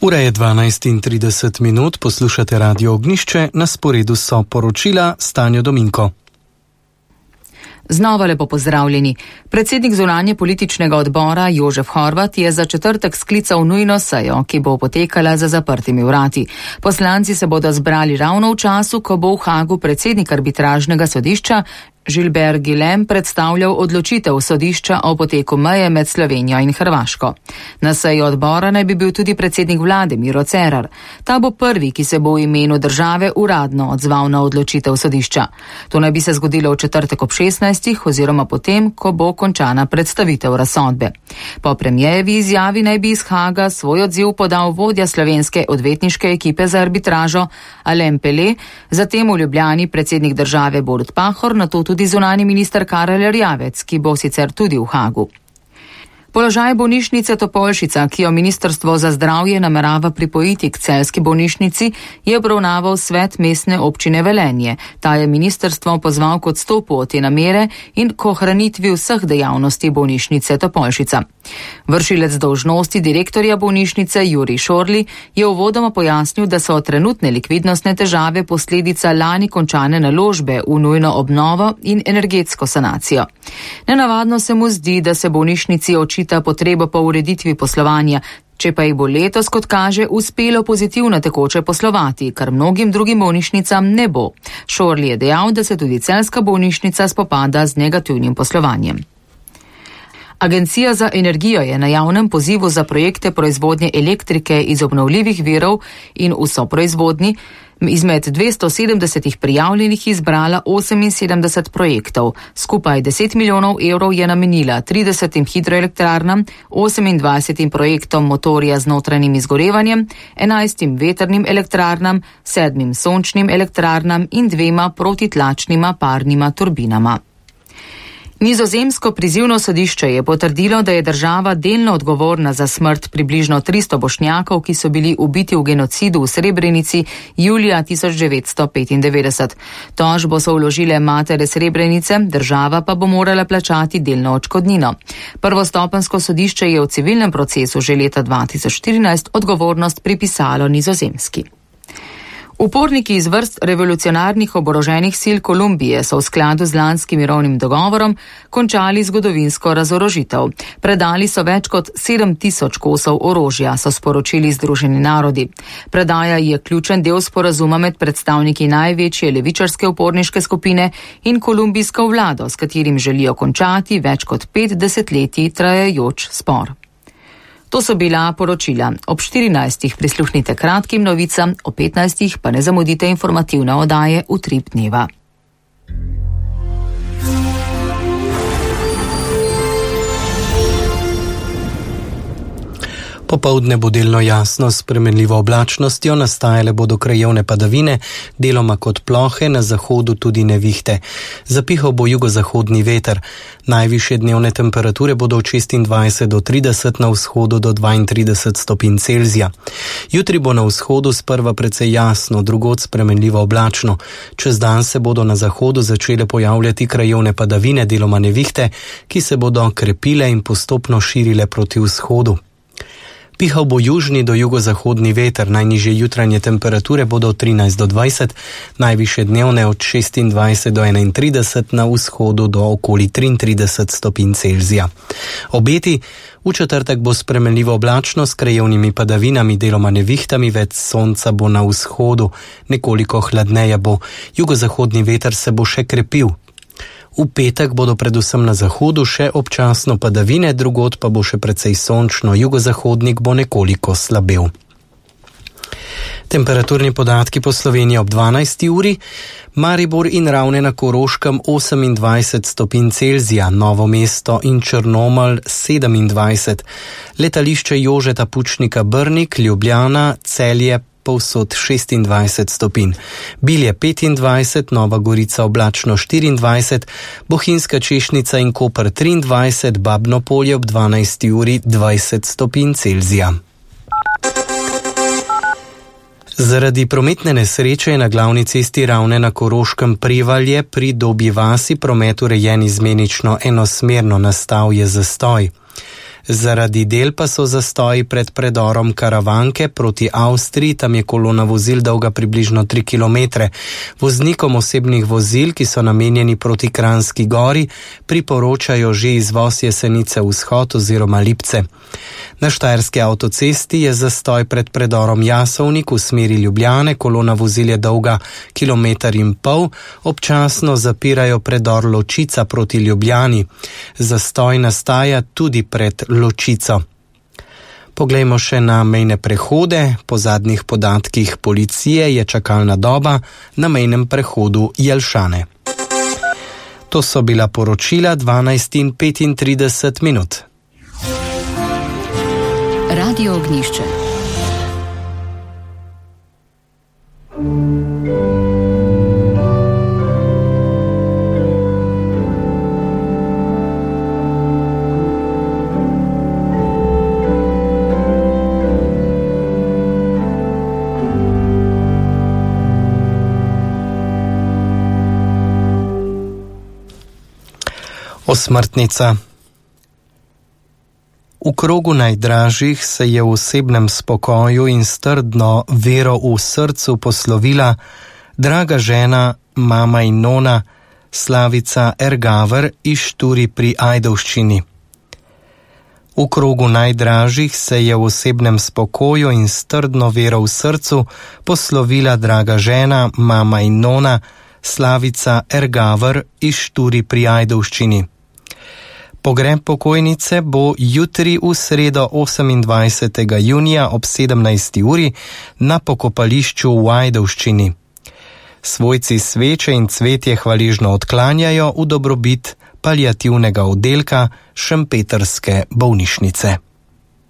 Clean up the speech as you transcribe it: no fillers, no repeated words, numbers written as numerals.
Ura je 12:30, poslušate Radio Ognjišče, na sporedu so poročila Stanjo Dominko. Znova lepo pozdravljeni. Predsednik zunanje političnega odbora Jožef Horvat je za četrtek sklical nujno sejo, ki bo potekala za zaprtimi vrati. Poslanci se bodo zbrali ravno v času, ko bo v Hagu predsednik arbitražnega sodišča Gilbert Guillem predstavljal odločitev sodišča o poteku meje med Slovenijo in Hrvaško. Na seji odbora naj bi bil tudi predsednik vlade Miro Cerar. Ta bo prvi, ki se bo v imenu države uradno odzval na odločitev sodišča. To naj bi se zgodilo v četrtek ob 16. oziroma potem, ko bo končana predstavitev razsodbe. Po premijevi izjavi naj bi iz Haga svoj odziv podal vodja slovenske odvetniške ekipe za arbitražo Alain Pelé, zatem v Ljubljani predsednik države Borut Pahor, nato tudi zunanji minister Karel Erjavec, ki bo sicer tudi v Hagu. Položaj bolnišnice Topolšica, ki jo Ministrstvo za zdravje namerava pripojiti k celjski bolnišnici, je obravnaval svet mestne občine Velenje. Ta je ministrstvo pozval k odstopu od te namere in k ohranitvi vseh dejavnosti bolnišnice Topolšica. Vršilec dolžnosti direktorja bolnišnice Jurij Šorli je uvodoma pojasnil, da so trenutne likvidnostne težave posledica lani končane naložbe v nujno obnovo in energetsko sanacijo. Nenavadno se mu zdi, da se bolnišnici očita potrebo po ureditvi poslovanja, če pa jih bo letos, kot kaže, uspelo pozitivno tekoče poslovati, kar mnogim drugim bolnišnicam ne bo. Šorli je dejal, da se tudi celjska bolnišnica spopada z negativnim poslovanjem. Agencija za energijo je na javnem pozivu za projekte proizvodnje elektrike iz obnovljivih virov in v soproizvodnji izmed 270 prijavljenih izbrala 78 projektov. Skupaj 10 milijonov evrov je namenila 30 hidroelektrarnam, 28 projektom motorja z notranjim izgorevanjem, 11 vetrnim elektrarnam, 7 sončnim elektrarnam in 2 protitlačnima parnima turbinama. Nizozemsko prizivno sodišče je potrdilo, da je država delno odgovorna za smrt približno 300 Bošnjakov, ki so bili ubiti v genocidu v Srebrenici julija 1995. Tožbo so vložile matere Srebrenice, država pa bo morala plačati delno odškodnino. Prvostopenjsko sodišče je v civilnem procesu že leta 2014 odgovornost pripisalo Nizozemski. Uporniki iz vrst revolucionarnih oboroženih sil Kolumbije so v skladu z lanskim mirovnim dogovorom končali zgodovinsko razorožitev. Predali so več kot 7000 kosov orožja, so sporočili Združeni narodi. Predaja je ključen del sporazuma med predstavniki največje levičarske uporniške skupine in kolumbijsko vlado, s katerim želijo končati več kot 5 desetletij trajajoč spor. To so bila poročila. Ob 14. prisluhnite kratkim novicam, ob 15. pa ne zamudite informativne oddaje Utrip dneva. Popoldne bo delno jasno s spremenljivo oblačnostjo, nastajale bodo krajevne padavine, deloma kot plohe, na zahodu tudi nevihte. Zapihal bo jugozahodni veter. Najvišje dnevne temperature bodo od 26 do 30, na vzhodu do 32 stopinj Celzija. Jutri bo na vzhodu sprva precej jasno, drugod spremenljivo oblačno. Čez dan se bodo na zahodu začele pojavljati krajevne padavine, deloma nevihte, ki se bodo krepile in postopno širile proti vzhodu. Pihal bo južni do jugozahodni veter, najnižje jutranje temperature bodo od 13 do 20, najvišje dnevne od 26 do 31, na vzhodu do okoli 33 stopinj Celzija. Obeti: v četrtek bo spremenljivo oblačno s krajevnimi padavinami, deloma nevihtami, več sonca bo na vzhodu, nekoliko hladneje bo, jugozahodni veter se bo še krepil. V petek bodo predvsem na zahodu še občasno padavine, drugod pa bo še precej sončno, jugozahodnik bo nekoliko slabel. Temperaturni podatki po Sloveniji ob 12. uri. Maribor in Ravne na Koroškem 28 stopinj Celzija, Novo mesto in Črnomelj 27, letališče Jožeta Pučnika Brnik, Ljubljana, Celje povsod 26 stopinj, Bilje 25, Nova Gorica oblačno 24, Bohinjska Češnica in Koper 23, Babno Polje ob 12. uri 20 stopinj Celzija. Zaradi prometne nesreče je na glavni cesti Ravne na Koroškem Prevalje pri Dobji vasi promet urejen izmenično enosmerno, nastal je zastoj. Zaradi del pa so zastoji pred predorom Karavanke proti Avstriji, tam je kolona vozil dolga približno 3 km. Voznikom osebnih vozil, ki so namenjeni proti Kranjski gori, priporočajo že izvoz Jesenice vzhod oziroma Lipce. Na štajerski avtocesti je zastoj pred predorom Jasovnik v smeri Ljubljane, kolona vozil je dolga 1,5 km, občasno zapirajo predor Ločica proti Ljubljani. Zastoj nastaja tudi pred Ločico. Poglejmo še na mejne prehode. Po zadnjih podatkih policije je čakalna doba na mejnem prehodu Jelšane. To so bila poročila 12:35. Radio Ognjišče. Osmrtnica. V krogu najdražjih se je v osebnem spokoju in s trdno vero v srcu poslovila draga žena, mama in nona, Slavica Ergaver iz Šturi pri Ajdovščini. V krogu najdražjih se je v osebnem spokoju in s trdno vero v srcu poslovila draga žena, mama in nona, Slavica Ergaver iz Šturi pri Ajdovščini. Pogreb pokojnice bo jutri v sredo 28. junija ob 17. uri na pokopališču v Ajdovščini. Svojci sveče in cvetje hvaležno odklanjajo v dobrobit paliativnega oddelka Šempetrske bolnišnice.